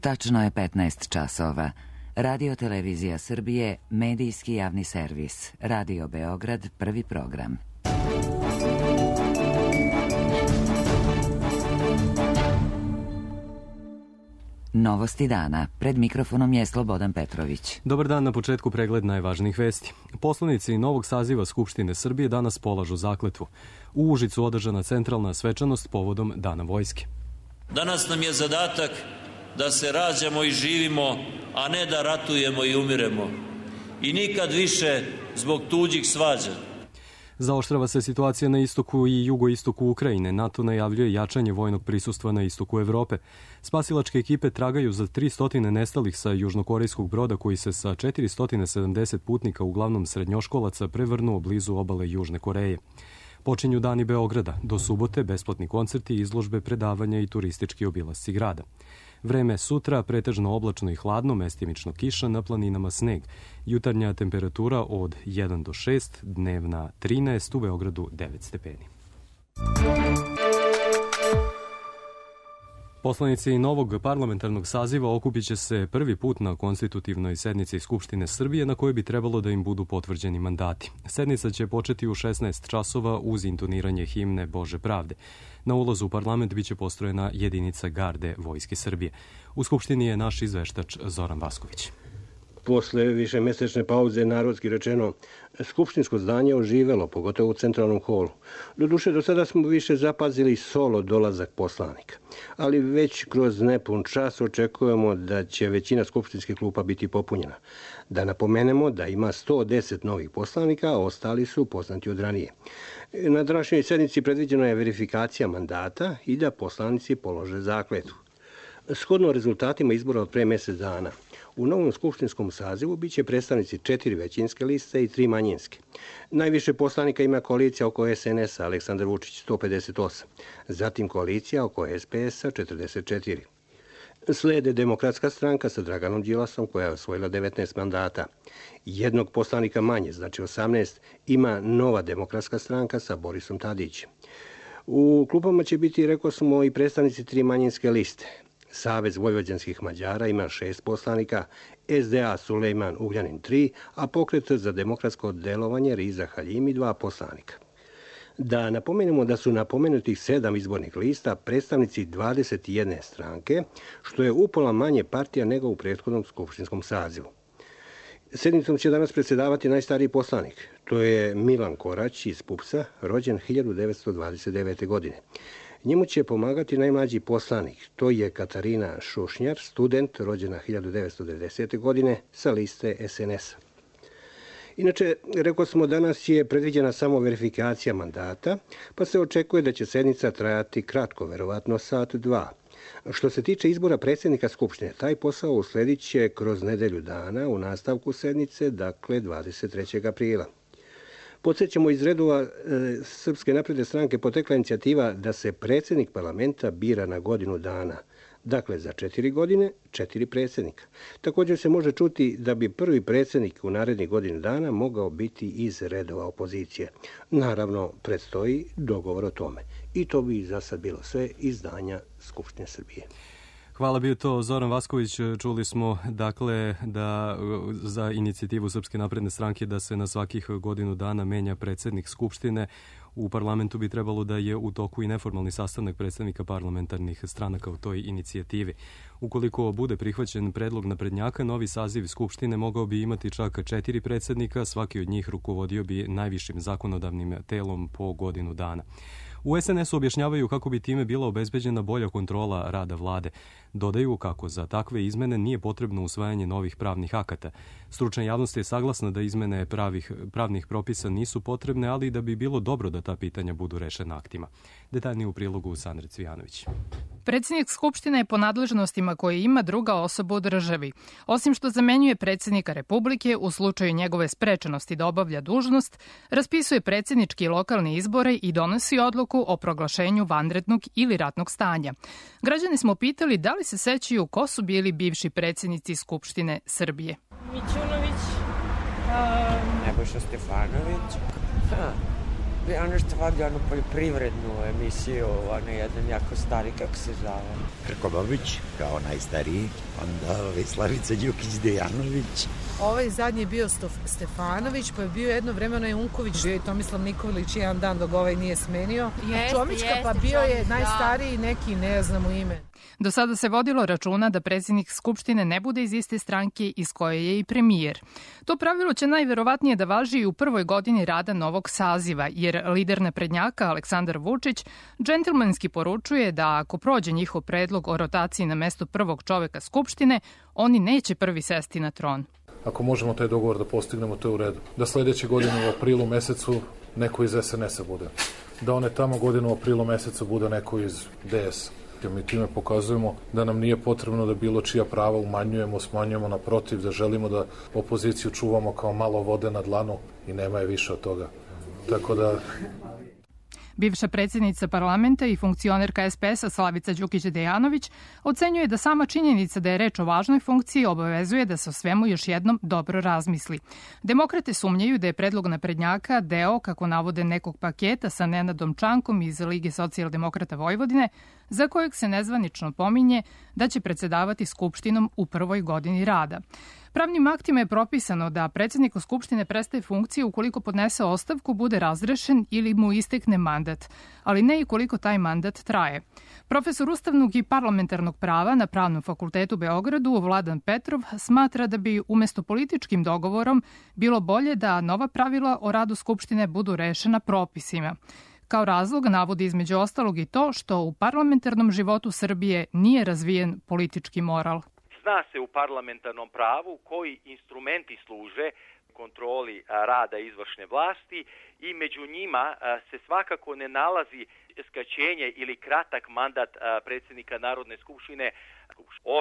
Tačno je 15 časova. Radio Televizija Srbije, medijski javni servis. Radio Beograd, prvi program. Novosti dana. Pred mikrofonom je Slobodan Petrović. Dobar dan, na početku pregled najvažnijih vesti. Poslanici novog saziva Skupštine Srbije danas polažu zakletvu. U Užicu održana centralna svečanost povodom Dana vojske. Danas nam je zadatak da se rađamo i živimo, a ne da ratujemo i umiremo. I nikad više zbog tuđih svađa. Zaoštrava se situacija na istoku i jugoistoku Ukrajine. NATO najavljuje jačanje vojnog prisustva na istoku Evrope. Spasilačke ekipe tragaju za 300 nestalih sa južnokorejskog broda koji se sa 470 putnika, uglavnom srednjoškolaca, prevrnuo blizu obale Južne Koreje. Počinju dani Beograda. Do subote besplatni koncerti, izložbe, predavanja i turistički obilasci grada. Vreme sutra pretežno oblačno i hladno, mestimično kiša, na planinama sneg. Jutarnja temperatura od 1 do 6, dnevna 13, u Beogradu 9 stepeni. Poslanici novog parlamentarnog saziva okupit će se prvi put na konstitutivnoj sednici Skupštine Srbije na kojoj bi trebalo da im budu potvrđeni mandati. Sednica će početi u 16 časova uz intoniranje himne Bože pravde. Na ulazu u parlament biće postrojena jedinica garde Vojske Srbije. U Skupštini je naš izveštač Zoran Vasković. Posle višemesečne pauze, narodski rečeno, skupštinsko zdanje oživelo, pogotovo u centralnom holu. Doduše, do sada smo više zapazili solo dolazak poslanika. Ali već kroz nepun čas očekujemo da će većina skupštinskih klupa biti popunjena. Da napomenemo da ima 110 novih poslanika, a ostali su poznati od ranije. Na današnjoj sednici predviđena je verifikacija mandata i da poslanici polože zakletvu. Shodno rezultatima izbora od pre mesec dana, u novom skupštinskom sazivu biće predstavnici 4 većinske liste i 3 manjinske. Najviše poslanika ima koalicija oko SNS-a Aleksandar Vučić 158, zatim koalicija oko SPS-a 44. Slede Demokratska stranka sa Draganom Đilasom koja je osvojila 19 mandata. Jednog poslanika manje, znači 18, ima Nova demokratska stranka sa Borisom Tadićem. U klupama će biti, rekao smo, i predstavnici 3 manjinske liste. Savez vojvođanskih Mađara ima 6 poslanika, SDA Sulejman Ugljanin 3, a Pokret za demokratsko delovanje Riza Haljimi 2 poslanika. Da napomenemo da su na pomenutih 7 izbornih lista predstavnici 21 stranke, što je upola manje partija nego u prethodnom skupštinskom sazivu. Sednicom će danas predsedavati najstariji poslanik. To je Milan Korać iz PUPS-a, rođen 1929. godine. Njemu će pomagati najmlađi poslanik. To je Katarina Šušnjar, student, rođena 1990. godine, sa liste SNS-a. Inače, rekao smo, danas je predviđena samo verifikacija mandata, pa se očekuje da će sednica trajati kratko, verovatno sat, dva. Što se tiče izbora predsjednika Skupštine, taj posao usledit će kroz nedelju dana u nastavku sednice, dakle 23. aprila. Podsjećamo, iz redova Srpske napredne stranke potekla inicijativa da se predsjednik parlamenta bira na godinu dana. Dakle, za 4 godine, 4 predsjednika. Također se može čuti da bi prvi predsjednik u narednih godinu dana mogao biti iz redova opozicije. Naravno, predstoji dogovor o tome. I to bi za sad bilo sve izdanja Skupštine Srbije. Hvala, bio to Zoran Vasković. Čuli smo dakle da za inicijativu Srpske napredne stranke da se na svakih godinu dana menja predsjednik Skupštine. U parlamentu bi trebalo da je u toku i neformalni sastanak predstavnika parlamentarnih stranaka u toj inicijativi. Ukoliko bude prihvaćen predlog naprednjaka, novi saziv Skupštine mogao bi imati čak 4 predsjednika, svaki od njih rukovodio bi najvišim zakonodavnim telom po godinu dana. U SNS-u objašnjavaju kako bi time bila obezbeđena bolja kontrola rada vlade. Dodaju kako za takve izmene nije potrebno usvajanje novih pravnih akata. Stručna javnost je saglasna da izmene pravnih propisa nisu potrebne, ali da bi bilo dobro da ta pitanja budu rešena aktima. Detaljnije u prilogu Sandre Cvijanović. Predsjednik Skupštine je po nadležnostima koje ima druga osoba u državi. Osim što zamenjuje predsjednika Republike u slučaju njegove sprečenosti da obavlja dužnost, raspisuje predsjednički i lokalne izbore i donosi odluku o proglašenju vanrednog ili ratnog stanja. Građani smo pitali da li se sećaju ko su bili bivši predsjednici Skupštine Srbije. Mićunović, Nebojša Stefanović, Ono što vodi onu poljoprivrednu emisiju, ono jedan jako stari, kako se zove? Krkobabić, kao najstariji, onda Slavica Đukić-Dejanović. Ovaj zadnji je bio Stefanović, pa je bio jedno vreme onaj Unković, bio i Tomislav Nikolić jedan dan dok ovaj nije smenio. Čomićka pa bio je najstariji neki, ne znam u ime. Do sada se vodilo računa da predsjednik Skupštine ne bude iz iste stranke iz koje je i premijer. To pravilo će najverovatnije da važi i u prvoj godini rada novog saziva, jer lider naprednjaka Aleksandar Vučić džentlmenski poručuje da ako prođe njihov predlog o rotaciji na mesto prvog čoveka Skupštine, oni neće prvi sesti na tron. Ako možemo taj dogovor da postignemo, to je u redu. Da sledeće godine u aprilu mesecu neko iz SNS-a bude. Da one tamo godine u aprilu mesecu bude neko iz DS-a. Mi time pokazujemo da nam nije potrebno da bilo čija prava umanjujemo, smanjujemo, naprotiv, da želimo da opoziciju čuvamo kao malo vode na dlanu i nema je više od toga. Tako da... Bivša predsjednica parlamenta i funkcionerka SPS-a Slavica Đukić-Dejanović ocenjuje da sama činjenica da je reč o važnoj funkciji obavezuje da se o svemu još jednom dobro razmisli. Demokrate sumnjaju da je predlog naprednjaka deo, kako navode, nekog paketa sa Nenadom Čankom iz Lige socijaldemokrata Vojvodine, za kojeg se nezvanično pominje da će predsedavati Skupštinom u prvoj godini rada. Pravnim aktima je propisano da predsjedniku Skupštine prestaje funkcija ukoliko podnese ostavku, bude razrešen ili mu istekne mandat, ali ne i koliko taj mandat traje. Profesor ustavnog i parlamentarnog prava na Pravnom fakultetu u Beogradu, Vladan Petrov, smatra da bi umesto političkim dogovorom bilo bolje da nova pravila o radu Skupštine budu rešena propisima. Kao razlog navodi između ostalog i to što u parlamentarnom životu Srbije nije razvijen politički moral. Zna se u parlamentarnom pravu koji instrumenti služe kontroli rada izvršne vlasti i među njima se svakako ne nalazi skraćenje ili kratak mandat predsjednika Narodne skupštine.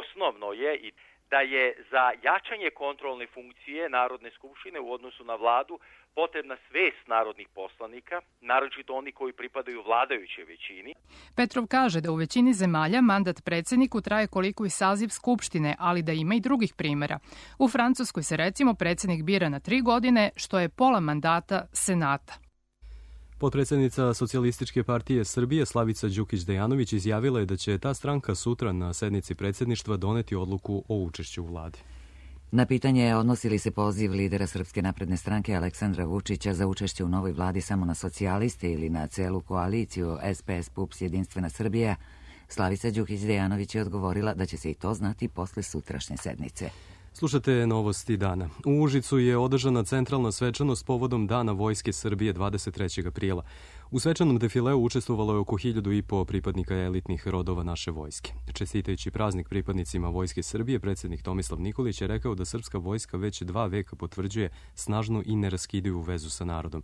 Osnovno je i da je za jačanje kontrolne funkcije Narodne skupštine u odnosu na vladu potrebna svest narodnih poslanika, naročito oni koji pripadaju vladajućoj većini. Petrov kaže da u većini zemalja mandat predsjedniku traje koliko i saziv Skupštine, ali da ima i drugih primjera. U Francuskoj se recimo predsjednik bira na 3 godine, što je pola mandata Senata. Potpredsjednica Socijalističke partije Srbije Slavica Đukić-Dejanović izjavila je da će ta stranka sutra na sednici predsjedništva doneti odluku o učešću u vladi. Na pitanje odnosi li se poziv lidera Srpske napredne stranke Aleksandra Vučića za učešće u novoj vladi samo na socijaliste ili na celu koaliciju SPS, PUPS, Jedinstvena Srbija, Slavica Đukić-Dejanović je odgovorila da će se i to znati posle sutrašnje sednice. Slušate novosti dana. U Užicu je održana centralna svečanost povodom Dana Vojske Srbije 23. aprila. U svečanom defileu učestvovalo je oko 1.500 pripadnika elitnih rodova naše vojske. Čestitajući praznik pripadnicima Vojske Srbije, predsjednik Tomislav Nikolić je rekao da srpska vojska već 2 veka potvrđuje snažnu i neraskidivu vezu sa narodom.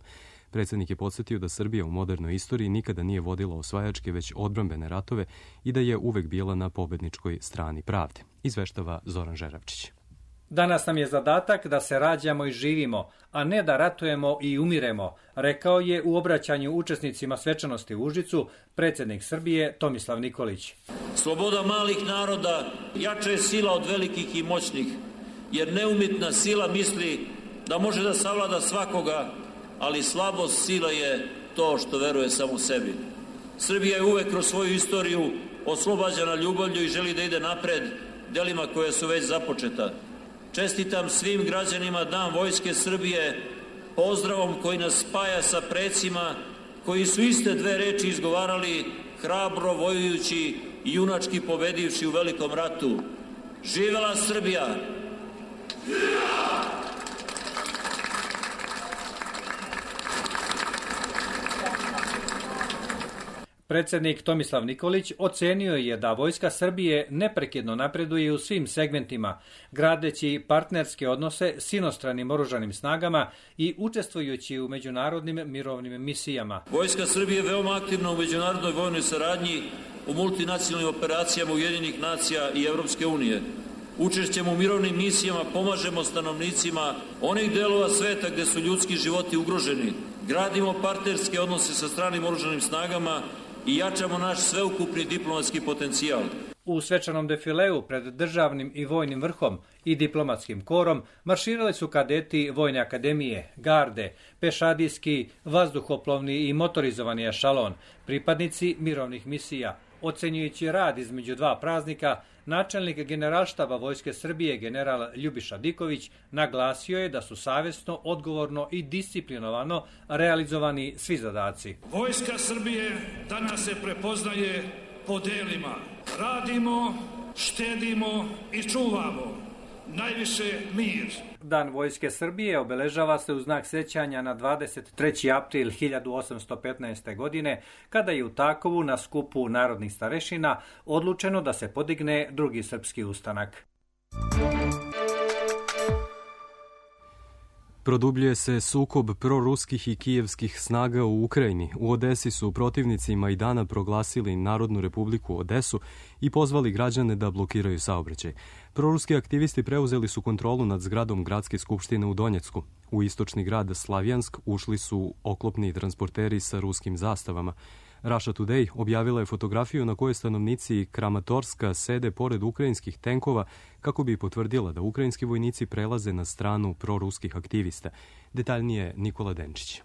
Predsjednik je podsjetio da Srbija u modernoj istoriji nikada nije vodila osvajačke, već odbrambene ratove i da je uvek bila na pobedničkoj strani pravde. Izveštava Zoran Žeravčić. Danas nam je zadatak da se rađamo i živimo, a ne da ratujemo i umiremo, rekao je u obraćanju učesnicima svečanosti u Užicu predsjednik Srbije Tomislav Nikolić. Sloboda malih naroda jača je sila od velikih i moćnih, jer neumitna sila misli da može da savlada svakoga, ali slabost sila je to što veruje samo sebi. Srbija je uvek kroz svoju istoriju oslobađana ljubavlju i želi da ide napred delima koje su već započeta. Čestitam svim građanima Dan Vojske Srbije, pozdravom koji nas spaja sa precima koji su iste 2 reči izgovarali hrabro vojujući i junački pobedivši u Velikom ratu. Živela Srbija! Živela! Predsjednik Tomislav Nikolić ocenio je da Vojska Srbije neprekidno napreduje u svim segmentima, gradeći partnerske odnose s inostranim oružanim snagama i učestvujući u međunarodnim mirovnim misijama. Vojska Srbije je veoma aktivna u međunarodnoj vojnoj saradnji, u multinacionalnim operacijama Ujedinjenih nacija i Evropske unije. Učešćem u mirovnim misijama pomažemo stanovnicima onih delova sveta gde su ljudski životi ugroženi. Gradimo partnerske odnose sa stranim oružanim snagama i jačamo naš sveukupni diplomatski potencijal. U svečanom defileu pred državnim i vojnim vrhom i diplomatskim korom marširali su kadeti Vojne akademije, garde, pešadijski, vazduhoplovni i motorizovani ešalon, pripadnici mirovnih misija. Ocenjujući rad između dva praznika, načelnik Generalštaba Vojske Srbije general Ljubiša Diković naglasio je da su savjesno, odgovorno i disciplinovano realizovani svi zadaci. Vojska Srbije danas se prepoznaje po delima. Radimo, štedimo i čuvamo. Najviše mir. Dan Vojske Srbije obeležava se u znak sećanja na 23. april 1815. godine, kada je u Takovu na skupu narodnih starešina odlučeno da se podigne drugi srpski ustanak. Produbljuje se sukob proruskih i kijevskih snaga u Ukrajini. U Odesi su protivnici Majdana proglasili Narodnu republiku Odesu i pozvali građane da blokiraju saobraćaj. Proruski aktivisti preuzeli su kontrolu nad zgradom Gradske skupštine u Donjecku. U istočni grad Slavjansk ušli su oklopni transporteri sa ruskim zastavama. Russia Today objavila je fotografiju na kojoj stanovnici Kramatorska sede pored ukrajinskih tenkova kako bi potvrdila da ukrajinski vojnici prelaze na stranu proruskih aktivista. Detaljnije Nikola Denčić.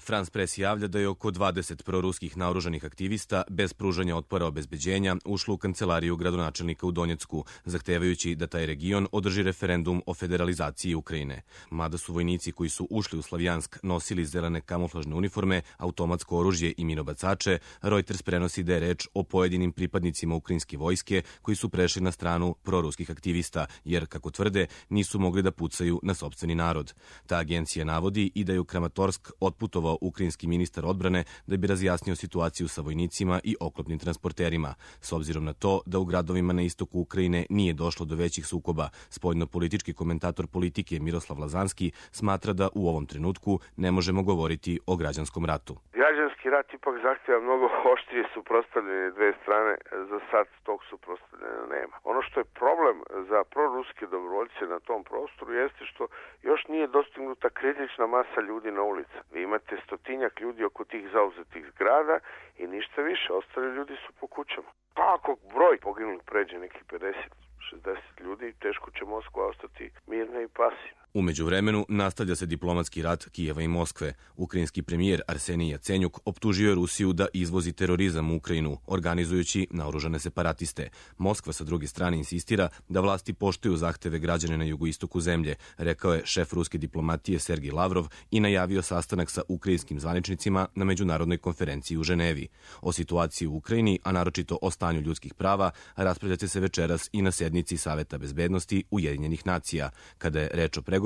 France Press javlja da je oko 20 proruskih naoružanih aktivista bez pružanja otpora obezbeđenja ušlo u kancelariju gradonačelnika u Donjecku, zahtevajući da taj region održi referendum o federalizaciji Ukrajine. Mada su vojnici koji su ušli u Slavjansk nosili zelene kamuflažne uniforme, automatsko oružje i minobacače, Reuters prenosi da je reč o pojedinim pripadnicima ukrajinske vojske koji su prešli na stranu proruskih aktivista, jer, kako tvrde, nisu mogli da pucaju na sopstveni narod. Ta agencija navodi i da je u Kramatorsk otputovao ukrajinski ministar odbrane da bi razjasnio situaciju sa vojnicima i oklopnim transporterima. S obzirom na to da u gradovima na istoku Ukrajine nije došlo do većih sukoba, spoljnopolitički komentator politike Miroslav Lazanski smatra da u ovom trenutku ne možemo govoriti o građanskom ratu. Građanski rat ipak zahtjeva mnogo oštrije suprotstavljanje dve strane, za sad tog suprotstavljanja nema. Ono što je problem za proruske dobrovoljce na tom prostoru jeste što još nije dostignuta kritična masa ljudi na ulici. Vi imate stotinjak ljudi oko tih zauzetih zgrada i ništa više, ostali ljudi su po kućama. Pa ako broj poginulih pređe neki 50-60 ljudi, teško će Moskva ostati mirna i pasivna. U međuvremenu nastavlja se diplomatski rat Kijeva i Moskve. Ukrajinski premijer Arsenij Jacenjuk optužio je Rusiju da izvozi terorizam u Ukrajinu, organizujući naoružane separatiste. Moskva sa druge strane insistira da vlasti poštuju zahteve građana na jugoistoku zemlje, rekao je šef ruske diplomatije Sergij Lavrov i najavio sastanak sa ukrajinskim zvaničnicima na međunarodnoj konferenciji u Ženevi. O situaciji u Ukrajini, a naročito o stanju ljudskih prava, raspravljaće se večeras i na sednici Saveta bezbednosti Ujedinjenih nacija. Kada je reč o pregovorima,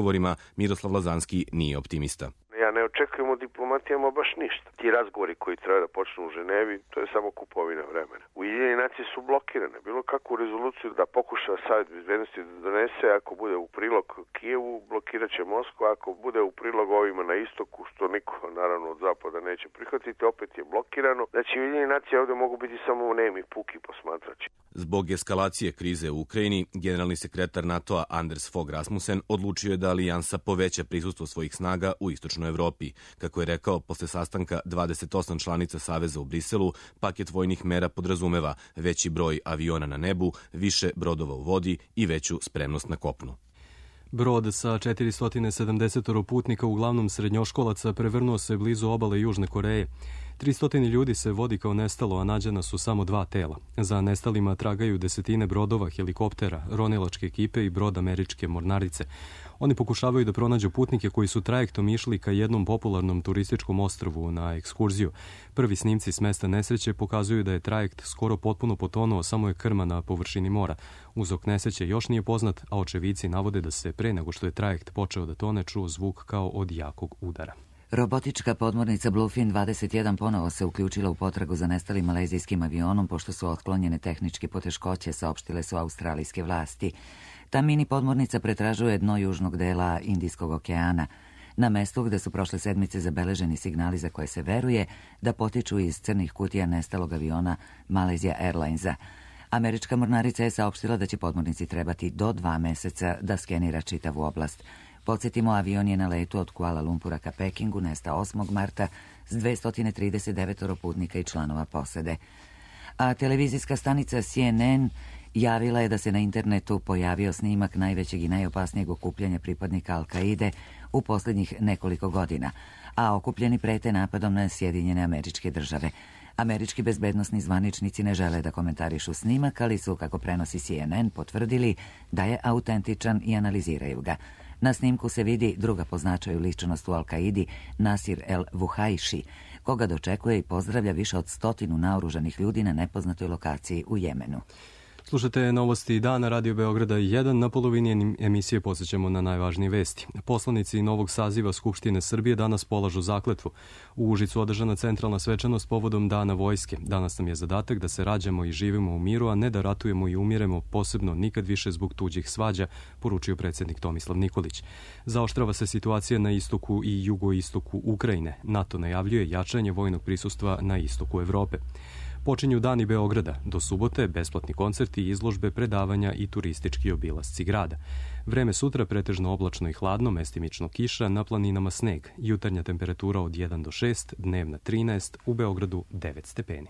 Miroslav Lazanski nije optimista. Ja ne očekujem od diplomatijama baš ništa. Ti razgovori koji treba da počnu u Ženevi, to je samo kupovina vremena. Ujedinjene nacije su blokirane. Bilo kakvu rezoluciju da pokuša Savet bezbednosti da donese, ako bude u prilog Kijevu, blokirat će Moskva, ako bude u prilog ovima na istoku, što niko naravno od zapada neće prihvatiti, opet je blokirano. Znači, Ujedinjene nacije ovde mogu biti samo nemi, puki posmatrači. Zbog eskalacije krize u Ukrajini, generalni sekretar NATO-a Anders Fogh Rasmussen odlučio je da alijansa poveća prisustvo svojih snaga u istočnoj Evropi. Kako je rekao, posle sastanka 28 članica Saveza u Briselu, paket vojnih mera podrazumeva veći broj aviona na nebu, više brodova u vodi i veću spremnost na kopnu. Brod sa 470 putnika, uglavnom srednjoškolaca, prevrnuo se blizu obale Južne Koreje. 300 ljudi se vodi kao nestalo, a nađena su samo 2 tela. Za nestalima tragaju desetine brodova, helikoptera, ronilačke ekipe i brod američke mornarice. Oni pokušavaju da pronađu putnike koji su trajektom išli ka jednom popularnom turističkom ostrvu na ekskurziju. Prvi snimci s mesta nesreće pokazuju da je trajekt skoro potpuno potonuo, samo je krma na površini mora. Uzrok nesreće još nije poznat, a očevici navode da se pre nego što je trajekt počeo da tone čuo zvuk kao od jakog udara. Robotička podmornica Bluefin 21 ponovo se uključila u potragu za nestalim malezijskim avionom pošto su otklonjene tehničke poteškoće, saopštile su australijske vlasti. Ta mini podmornica pretražuje dno južnog dela Indijskog okeana, na mestu gde su prošle sedmice zabeleženi signali za koje se veruje da potiču iz crnih kutija nestalog aviona Malaysia Airlinesa. Američka mornarica je saopštila da će podmornici trebati do 2 meseca da skenira čitavu oblast. Podsjetimo, avion je na letu od Kuala Lumpura ka Pekingu nestao 8. marta s 239 putnika i članova posade. a televizijska stanica CNN javila je da se na internetu pojavio snimak najvećeg i najopasnijeg okupljanja pripadnika Al-Kaide u posljednjih nekoliko godina, a okupljeni prete napadom na Sjedinjene Američke Države. Američki bezbednosni zvaničnici ne žele da komentarišu snimak, ali su, kako prenosi CNN, potvrdili da je autentičan i analiziraju ga. Na snimku se vidi druga po značaju ličnost u Al-Kaidi, Nasir el-Vuhajši, koga dočekuje i pozdravlja više od 100 naoružanih ljudi na nepoznatoj lokaciji u Jemenu. Slušate novosti dana Radio Beograda 1. Na polovini emisije posjećamo na najvažnije vesti. Poslanici novog saziva Skupštine Srbije danas polažu zakletvu. U Užicu održana centralna svečanost povodom Dana vojske. Danas nam je zadatak da se rađamo i živimo u miru, a ne da ratujemo i umiremo, posebno nikad više zbog tuđih svađa, poručio predsjednik Tomislav Nikolić. Zaoštrava se situacija na istoku i jugoistoku Ukrajine. NATO najavljuje jačanje vojnog prisustva na istoku Evrope. Počinju dani Beograda. Do subote besplatni koncerti, izložbe, predavanja i turistički obilasci grada. Vreme sutra pretežno oblačno i hladno, mestimično kiša, na planinama sneg. Jutarnja temperatura od 1 do 6, dnevna 13, u Beogradu 9 stepeni.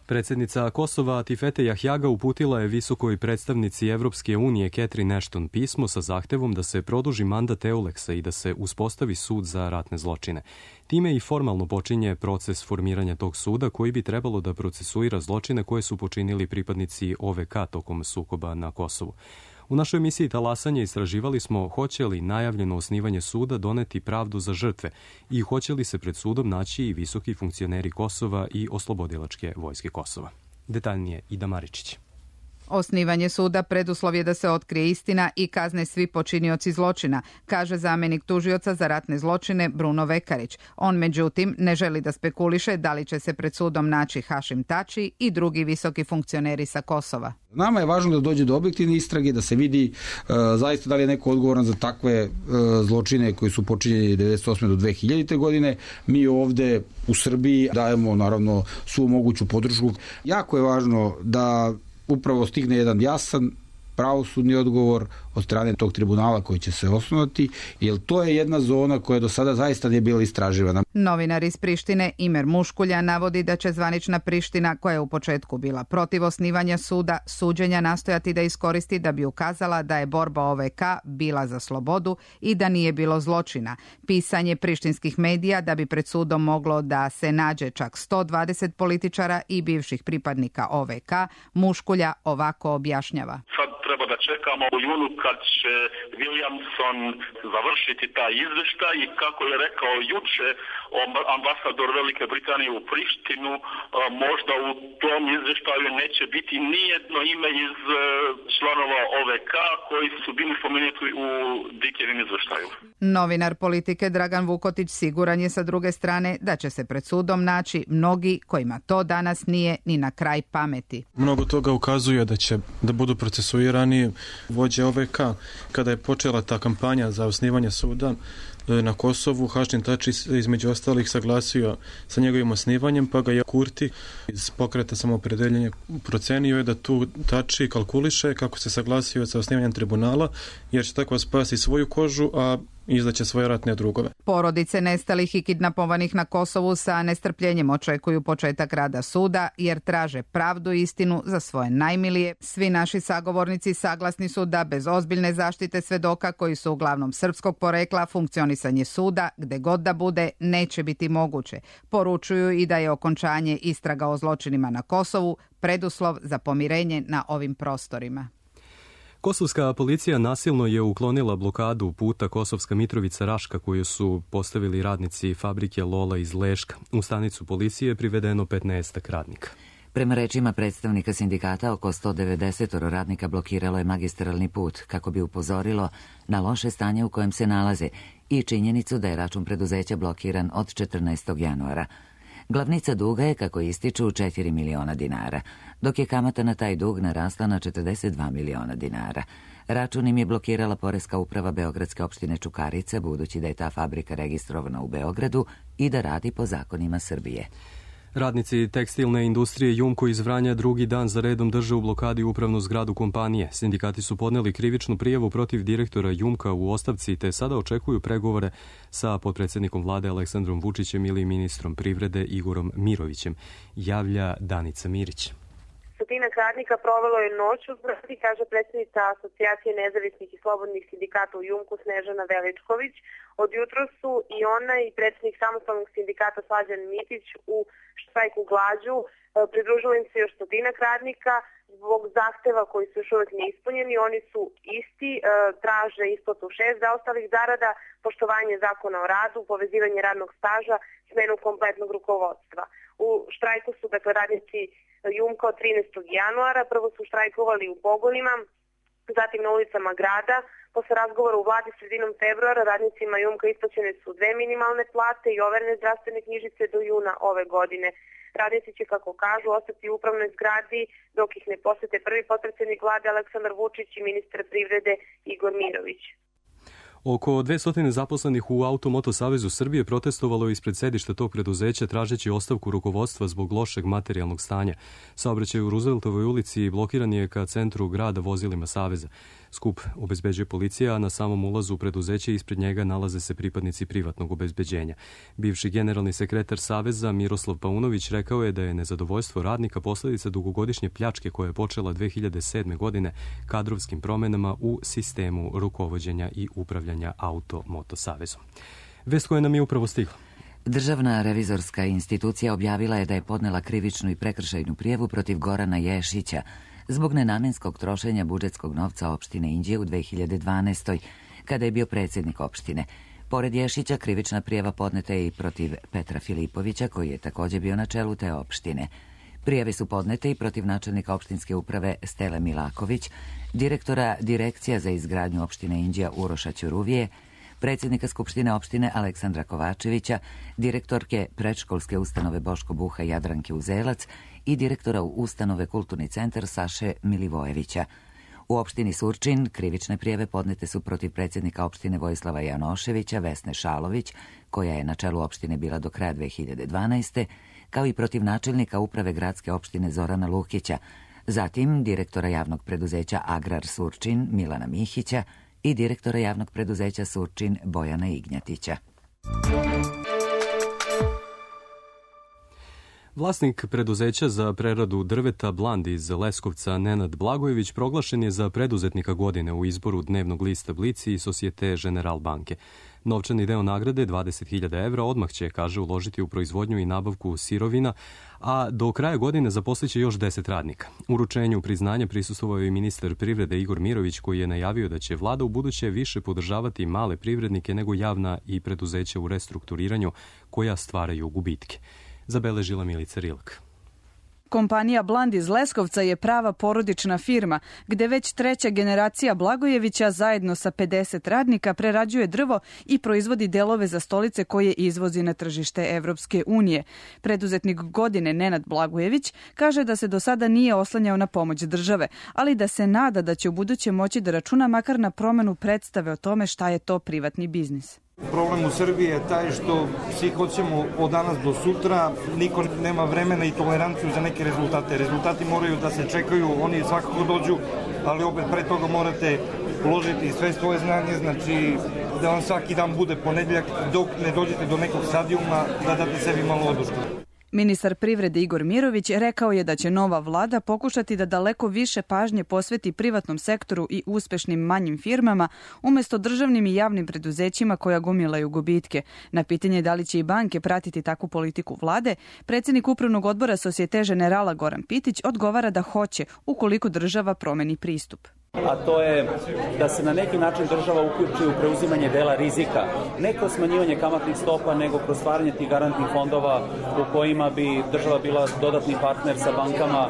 Predsjednica Kosova Tifete Jahjaga uputila je visokoj predstavnici Evropske unije Catherine Ashton pismo sa zahtevom da se produži mandat Euleksa i da se uspostavi sud za ratne zločine. Time i formalno počinje proces formiranja tog suda koji bi trebalo da procesuira zločine koje su počinili pripadnici OVK tokom sukoba na Kosovu. U našoj emisiji Talasanje istraživali smo hoće li najavljeno osnivanje suda doneti pravdu za žrtve i hoće li se pred sudom naći i visoki funkcioneri Kosova i Oslobodilačke vojske Kosova. Detaljnije Ida Maričić. Osnivanje suda preduslov je da se otkrije istina i kazne svi počinioci zločina, kaže zamjenik tužioca za ratne zločine Bruno Vekarić. On, međutim, ne želi da spekuliše da li će se pred sudom naći Hašim Tači i drugi visoki funkcioneri sa Kosova. Nama je važno da dođe do objektivne istrage, da se vidi zaista da li je neko odgovoran za takve zločine koji su počinjeni 1998. do 2000. godine. Mi ovde u Srbiji dajemo naravno svu moguću podršku. Jako je važno da upravo stigne jedan jasan pravosudni odgovor od strane tog tribunala koji će se osnovati, jer to je jedna zona koja do sada zaista nije bila istraživana. Novinar iz Prištine Imer Muškulja navodi da će zvanična Priština, koja je u početku bila protiv osnivanja suda, suđenja nastojati da iskoristi da bi ukazala da je borba OVK bila za slobodu i da nije bilo zločina. Pisanje prištinskih medija da bi pred sudom moglo da se nađe čak 120 političara i bivših pripadnika OVK, Muškulja ovako objašnjava. Treba da čekamo u junu kad će Williamson završiti taj izveštaj i kako je rekao juče ambasador Velike Britanije u Prištinu, možda u tom izveštaju neće biti nijedno ime iz članova OVK koji su bili spomenuti u Dikijevim izveštaju. Novinar Politike Dragan Vukotić siguran je sa druge strane da će se pred sudom naći mnogi kojima to danas nije ni na kraj pameti. Mnogo toga ukazuje da će da budu procesuirani vođe OVK. Kada je počela ta kampanja za osnivanje suda na Kosovu, Hašim Tači između ostalih saglasio sa njegovim osnivanjem, pa ga je Kurti iz pokreta samoopredeljenja procenio je da tu Tači kalkuliše kako se saglasio sa osnivanjem tribunala, jer će tako spasi svoju kožu, a izdaće svoje ratne drugove. Porodice nestalih i kidnapovanih na Kosovu sa nestrpljenjem očekuju početak rada suda jer traže pravdu i istinu za svoje najmilije. Svi naši sagovornici saglasni su da bez ozbiljne zaštite svedoka koji su uglavnom srpskog porekla funkcionisanje suda, gde god da bude, neće biti moguće. Poručuju i da je okončanje istraga o zločinima na Kosovu preduslov za pomirenje na ovim prostorima. Kosovska policija nasilno je uklonila blokadu puta Kosovska Mitrovica-Raška koju su postavili radnici fabrike Lola iz Leška. U stanicu policije je privedeno 15 radnika. Prema rečima predstavnika sindikata, oko 190 radnika blokiralo je magistralni put kako bi upozorilo na loše stanje u kojem se nalaze i činjenicu da je račun preduzeća blokiran od 14. januara. Glavnica duga je, kako ističu, 4 miliona dinara, dok je kamata na taj dug narasla na 42 miliona dinara. Račun im je blokirala Poreska uprava Beogradske opštine Čukarica, budući da je ta fabrika registrovana u Beogradu i da radi po zakonima Srbije. Radnici tekstilne industrije Jumko iz Vranja drugi dan za redom drže u blokadi upravnu zgradu kompanije. Sindikati su podneli krivičnu prijavu protiv direktora Jumka u ostavci te sada očekuju pregovore sa potpredsjednikom vlade Aleksandrom Vučićem ili ministrom privrede Igorom Mirovićem, javlja Danica Mirić. Stotinak radnika provelo je noć u zgradi, kaže predsjednica Asocijacije nezavisnih i slobodnih sindikata u Jumku Snežana Veličković. Od jutra su i ona i predsjednik samostalnog sindikata Slađan Mitić u štrajku glađu. Pridružilo im se još stotinak radnika zbog zahteva koji su još uvijek neispunjeni. Oni su isti, traže isplatu 6 zaostalih zarada, poštovanje zakona o radu, povezivanje radnog staža, smenu kompletnog rukovodstva. U štrajku su dakle radnici Jumka od 13. januara. Prvo su štrajkovali u pogonima, zatim na ulicama grada. Posle razgovora u vladi sredinom februara radnicima Jumka isplaćene su 2 minimalne plate i overene zdravstvene knjižice do juna ove godine. Radnici će, kako kažu, ostati u upravnoj zgradi dok ih ne posete prvi potpredsjednik vlade Aleksandar Vučić i ministar privrede Igor Mirović. Oko 200 zaposlenih u Auto-Moto Savezu Srbije protestovalo je ispred sedišta tog preduzeća tražeći ostavku rukovodstva zbog lošeg materijalnog stanja. Saobraćaj u Rooseveltovoj ulici blokiran je ka centru grada vozilima Saveza. Skup obezbeđuje policija, a na samom ulazu u preduzeće ispred njega nalaze se pripadnici privatnog obezbeđenja. Bivši generalni sekretar Saveza Miroslav Paunović rekao je da je nezadovoljstvo radnika posljedica dugogodišnje pljačke koja je počela 2007. godine kadrovskim promenama u sistemu rukovođenja i upravljanja Auto-Moto Savezom. Vest koja nam je upravo stigla. Državna revizorska institucija objavila je da je podnela krivičnu i prekršajnu prijavu protiv Gorana Ješića zbog nenamenskog trošenja budžetskog novca opštine Inđije u 2012. kada je bio predsjednik opštine. Pored Ješića, krivična prijava podneta je i protiv Petra Filipovića, koji je također bio na čelu te opštine. Prijave su podnete i protiv načelnika opštinske uprave Stele Milaković, direktora Direkcija za izgradnju opštine Inđija Uroša Ćuruvije, predsjednika Skupštine opštine Aleksandra Kovačevića, direktorke predškolske ustanove Boško Buha Jadranke Uzelac i direktora ustanove Kulturni centar Saše Milivojevića. U opštini Surčin krivične prijave podnete su protiv predsjednika opštine Vojislava Janoševića, Vesne Šalović, koja je na čelu opštine bila do kraja 2012. kao i protiv načelnika uprave gradske opštine Zorana Lukića, zatim direktora javnog preduzeća Agrar Surčin Milana Mihića i direktora javnog preduzeća Surčin Bojana Ignjatića. Vlasnik preduzeća za preradu drveta Bland iz Leskovca Nenad Blagojević proglašen je za preduzetnika godine u izboru dnevnog lista Blici i Societe General banke. Novčani deo nagrade, 20.000 evra, odmah će, kaže, uložiti u proizvodnju i nabavku sirovina, a do kraja godine zaposliće još 10 radnika. Uručenju priznanja prisustvovao je i ministar privrede Igor Mirović, koji je najavio da će vlada u buduće više podržavati male privrednike nego javna i preduzeća u restrukturiranju koja stvaraju gubitke. Zabeležila Milica Rilak. Kompanija Bland iz Leskovca je prava porodična firma, gde već treća generacija Blagojevića zajedno sa 50 radnika prerađuje drvo i proizvodi delove za stolice koje izvozi na tržište Evropske unije. Preduzetnik godine Nenad Blagojević kaže da se do sada nije oslanjao na pomoć države, ali da se nada da će u buduće moći da računa makar na promenu predstave o tome šta je to privatni biznis. Problem u Srbiji je taj što svi hoćemo od danas do sutra, niko nema vremena i toleranciju za neke rezultate. Rezultati moraju da se čekaju, oni svakako dođu, ali opet pre toga morate uložiti sve svoje znanje, znači da vam svaki dan bude ponedjeljak dok ne dođete do nekog stadijuma da date sebi malo odušku. Ministar privrede Igor Mirović rekao je da će nova vlada pokušati da daleko više pažnje posveti privatnom sektoru i uspešnim manjim firmama umjesto državnim i javnim preduzećima koja gomilaju gubitke. Na pitanje da li će i banke pratiti takvu politiku vlade, predsjednik upravnog odbora Societe Generala Goran Pitić odgovara da hoće ukoliko država promeni pristup. A to je da se na neki način država uključi u preuzimanje dela rizika. Ne kroz smanjivanje kamatnih stopa, nego kroz stvaranje tih garantnih fondova u kojima bi država bila dodatni partner sa bankama.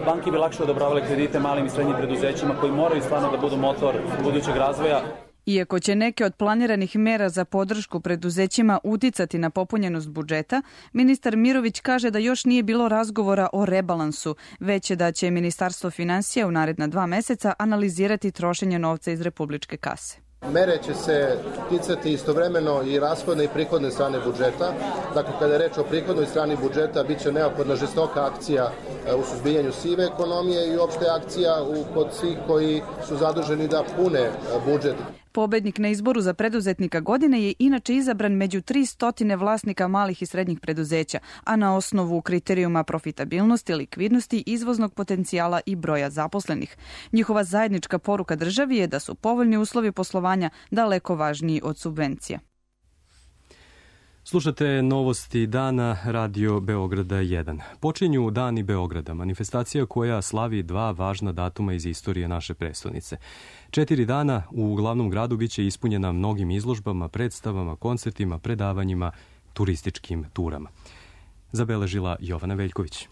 Banke bi lakše odobravale kredite malim i srednjim preduzećima koji moraju stvarno da budu motor budućeg razvoja. Iako će neke od planiranih mera za podršku preduzećima uticati na popunjenost budžeta, ministar Mirović kaže da još nije bilo razgovora o rebalansu, već da će Ministarstvo finansija u naredna 2 meseca analizirati trošenje novca iz republičke kase. Mere će se ticati istovremeno i rashodne i prihodne strane budžeta. Dakle, kada je reč o prihodnoj strani budžeta, bit će neophodna žestoka akcija u suzbijanju sive ekonomije i uopšte akcija kod svih koji su zaduženi da pune budžet. Pobednik na izboru za preduzetnika godine je inače izabran među 300 vlasnika malih i srednjih preduzeća, a na osnovu kriterijuma profitabilnosti, likvidnosti, izvoznog potencijala i broja zaposlenih. Njihova zajednička poruka državi je da su povoljni uslovi poslovanja daleko važniji od subvencija. Slušate novosti dana Radio Beograda 1. Počinju Dani Beograda, manifestacija koja slavi 2 važna datuma iz istorije naše prestonice. 4 dana u glavnom gradu biće ispunjena mnogim izložbama, predstavama, koncertima, predavanjima, turističkim turama. Zabeležila Jovana Veljković.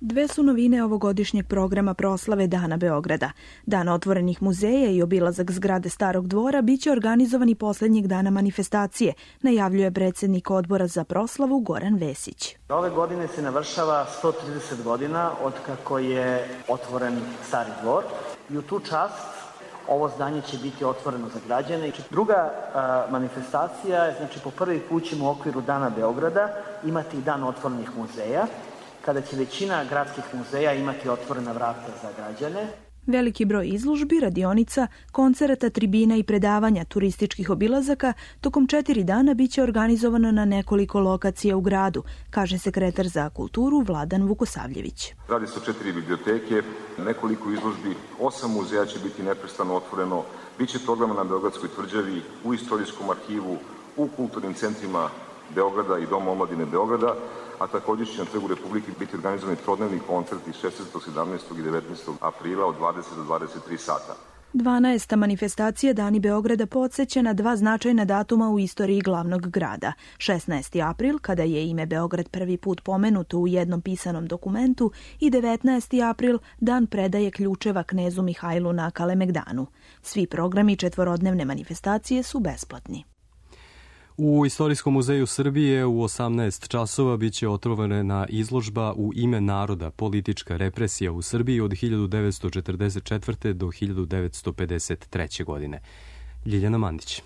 2 su novine ovogodišnjeg programa proslave Dana Beograda. Dan otvorenih muzeja i obilazak zgrade Starog dvora biće organizovani poslednjeg dana manifestacije, najavljuje predsjednik odbora za proslavu Goran Vesić. Ove godine se navršava 130 godina od kako je otvoren Stari dvor i u tu čast ovo zdanje će biti otvoreno za građane. Druga manifestacija je, znači po prvi put ćemo u okviru Dana Beograda imati i dan otvorenih muzeja, kada će većina gradskih muzeja imati otvorena vrata za građane. Veliki broj izložbi, radionica, koncerata, tribina i predavanja, turističkih obilazaka tokom 4 dana biće organizovano na nekoliko lokacija u gradu, kaže sekretar za kulturu Vladan Vukosavljević. Radi se o 4 biblioteke, nekoliko izložbi, 8 muzeja će biti neprestano otvoreno, biće programa na Beogradskoj tvrđavi, u istorijskom arhivu, u kulturnim centrima Beograda i Doma omladine Beograda, a također će na Trgu Republike biti organizovani trodnevni koncerti 16., 17. i 19. aprila od 20 do 23 sata. 12. manifestacija Dani Beograda podsjeća na 2 značajna datuma u istoriji glavnog grada. 16. april, kada je ime Beograd prvi put pomenuto u jednom pisanom dokumentu, i 19. april, dan predaje ključeva knezu Mihajlu na Kalemegdanu. Svi programi 4-dnevne manifestacije su besplatni. U Istorijskom muzeju Srbije u 18 časova biće otvorena izložba U ime naroda, politička represija u Srbiji od 1944. do 1953. godine. Ljiljana Mandić.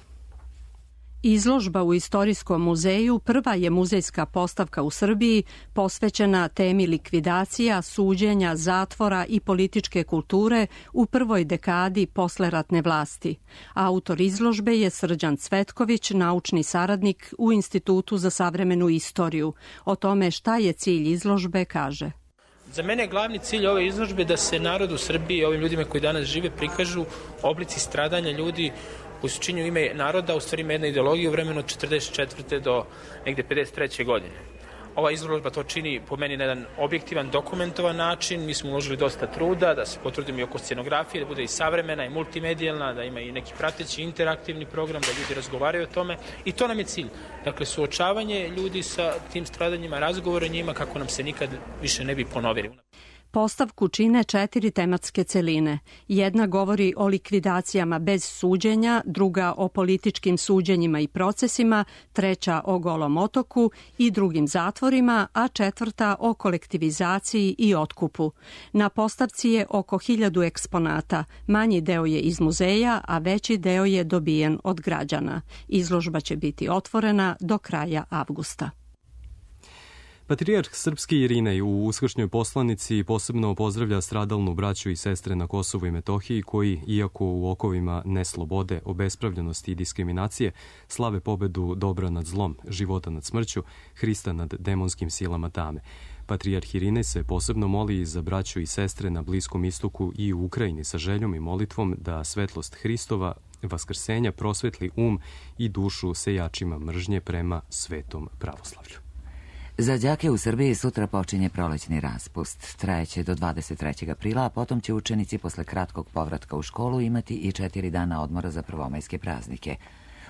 Izložba u Istorijskom muzeju prva je muzejska postavka u Srbiji posvećena temi likvidacija, suđenja, zatvora i političke kulture u prvoj dekadi posleratne vlasti. Autor izložbe je Srđan Cvetković, naučni saradnik u Institutu za savremenu istoriju. O tome šta je cilj izložbe kaže. Za mene je glavni cilj ove izložbe da se narodu Srbije, ovim ljudima koji danas žive, prikažu oblici stradanja ljudi koji su činju ime naroda, u stvari ima jedna ideologija u vremenu od 44. do negde 53. godine. Ova izložba to čini po meni na jedan objektivan, dokumentovan način. Mi smo uložili dosta truda da se potrudimo i oko scenografije, da bude i savremena i multimedijalna, da ima i neki prateći interaktivni program, da ljudi razgovaraju o tome. I to nam je cilj. Dakle, suočavanje ljudi sa tim stradanjima, razgovore njima kako nam se nikad više ne bi ponovili. Postavku čine 4 tematske celine. Jedna govori o likvidacijama bez suđenja, druga o političkim suđenjima i procesima, treća o Golom otoku i drugim zatvorima, a 4. o kolektivizaciji i otkupu. Na postavci je oko 1000 eksponata. Manji deo je iz muzeja, a veći deo je dobijen od građana. Izložba će biti otvorena do kraja avgusta. Patrijarh srpski Irinej u uskršnjoj poslanici posebno pozdravlja stradalnu braću i sestre na Kosovu i Metohiji koji, iako u okovima neslobode, obespravljenosti i diskriminacije, slave pobedu dobra nad zlom, života nad smrću, Hrista nad demonskim silama tame. Patrijarh Irinej se posebno moli za braću i sestre na Bliskom istoku i u Ukrajini sa željom i molitvom da svetlost Hristova vaskrsenja prosvetli i dušu sejačima mržnje prema svetom pravoslavlju. Za đake u Srbiji sutra počinje prolećni raspust. Trajeće do 23. aprila, a potom će učenici posle kratkog povratka u školu imati i 4 dana odmora za prvomajske praznike.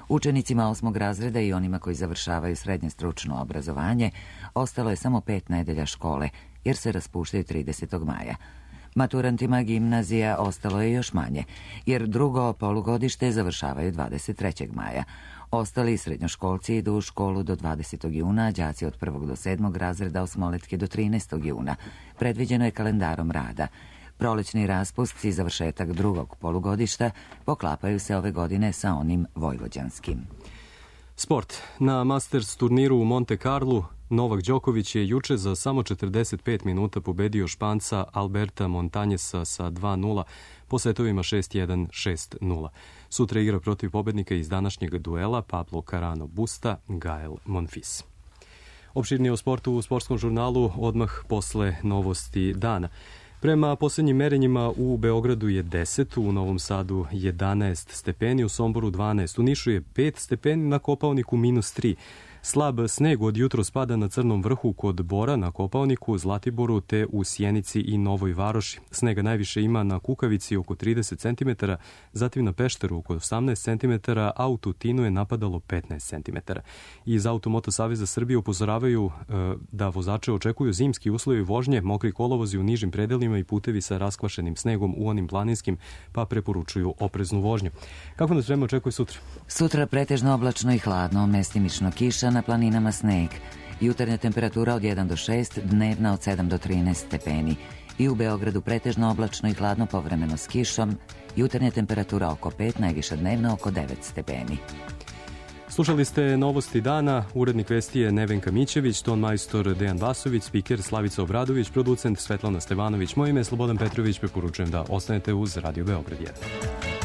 Učenicima 8. razreda i onima koji završavaju srednje stručno obrazovanje ostalo je samo 5 nedelja škole, jer se raspuštaju 30. maja. Maturantima gimnazija ostalo je još manje, jer drugo polugodište završavaju 23. maja. Ostali srednjoškolci idu u školu do 20. juna, đaci od 1. do 7. razreda osmoletke do 13. juna. Predviđeno je kalendarom rada. Prolećni raspust i završetak drugog polugodišta poklapaju se ove godine sa onim vojvođanskim. Sport. Na Masters turniru u Monte Carlu Novak Đoković je juče za samo 45 minuta pobedio Španca Alberta Montañesa sa 2-0 po setovima 6-1, 6-0. Sutra igra protiv pobednika iz današnjeg duela Pablo Carano Busta, Gael Monfils. Opširnije o sportu u sportskom žurnalu odmah posle novosti dana. Prema posljednjim merenjima u Beogradu je 10, u Novom Sadu 11 stepeni, u Somboru 12, u Nišu je 5 stepeni, na Kopaoniku -3. Slab sneg od jutro spada na Crnom vrhu kod Bora, na Kopaoniku, Zlatiboru te u Sjenici i Novoj Varoši. Snega najviše ima na Kukavici oko 30 cm, zatim na Pešteru oko 18 cm, a u Tutinu je napadalo 15 cm. Iz Automoto Saveza Srbije upozoravaju da vozače očekuju zimski uslovi vožnje, mokri kolovozi u nižim predelima i putevi sa raskvašenim snegom u onim planinskim, pa preporučuju opreznu vožnju. Kako nas vreme očekuje sutra? Sutra pretežno oblačno i hladno, mestimično kiša, na planinama sneg. Jutarnja temperatura od 1 do 6, dnevna od 7 do 13 stepeni. I u Beogradu pretežno oblačno i hladno, povremeno s kišom. Jutarnja temperatura oko 5, najviša dnevna oko 9 stepeni. Slušali ste novosti dana, urednik vesti je Nevenka Mićević, ton majstor Dejan Vasović, spiker Slavica Obradović, producent Svetlana Stevanović. Moje ime je Slobodan Petrović, preporučujem da ostanete uz Radio Beograd 1.